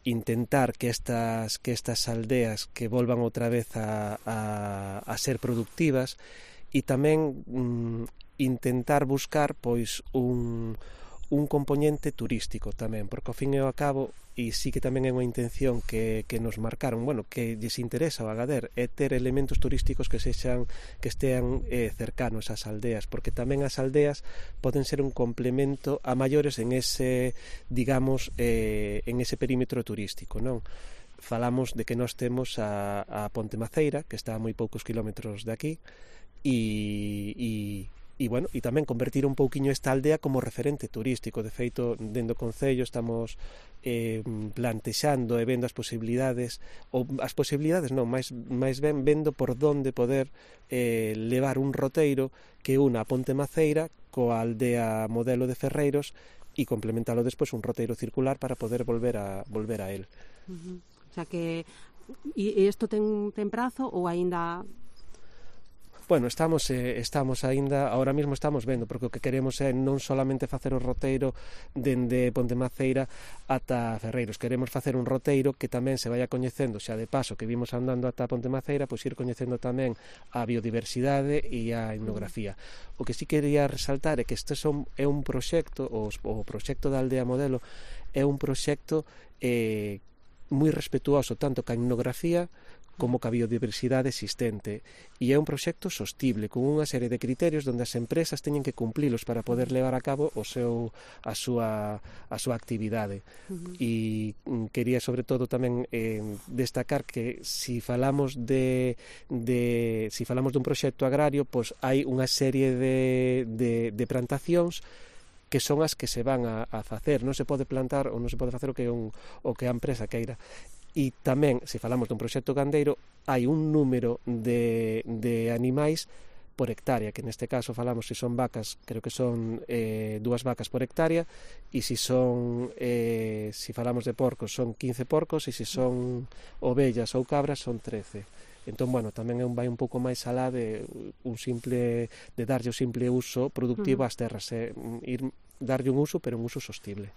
intentar que estas aldeas que volvan outra vez a ser productivas, e tamén intentar buscar pois un componente turístico tamén, porque ao fin e ao cabo, e sí que tamén é unha intención que nos marcaron, bueno, que lles interesa ao Agadir, é ter elementos turísticos que estean cercanos ás aldeas, porque tamén as aldeas poden ser un complemento a maiores en ese, digamos, en ese perímetro turístico, non? Falamos de que nós temos a Ponte Maceira, que está a moi poucos kilómetros de aquí, e bueno, e tamén convertir un pouquiño esta aldea como referente turístico. De feito, dentro do Concello estamos plantexando e vendo as posibilidades, ou as posibilidades non, máis ben vendo por onde poder levar un roteiro que una a Ponte Maceira coa aldea modelo de Ferreiros e complementalo despois un roteiro circular para poder volver a él. O sea que e isto ten prazo ou aínda... Bueno, estamos aínda, ahora mesmo estamos vendo, porque o que queremos é non solamente facer o roteiro dende Ponte Maceira ata Ferreiros, queremos facer un roteiro que tamén se vaya coñecendo, xa de paso que vimos andando ata Ponte Maceira, pois ir coñecendo tamén a biodiversidade e a etnografía. O que sí quería resaltar é que este é un proxecto, o proxecto da Aldea Modelo é un proxecto moi respetuoso tanto ca etnografía como ca biodiversidade existente, e é un proxecto sostible con unha serie de criterios onde as empresas teñen que cumplilos para poder levar a cabo a súa actividade. E quería sobre todo tamén destacar que si falamos dun proxecto agrario, pois hai unha serie de plantacións que son as que se van a facer. Non se pode plantar ou non se pode facer o que a empresa queira. E tamén, se falamos dun proxecto gandeiro, hai un número de animais por hectárea, que neste caso falamos, se son vacas, creo que son 2 vacas por hectárea, e se falamos de porcos, son 15 porcos, e se son ovellas ou cabras, son 13. Entón, bueno, tamén vai un pouco máis alá de darlle o simple uso productivo ás terras, darlle un uso, pero un uso sostible.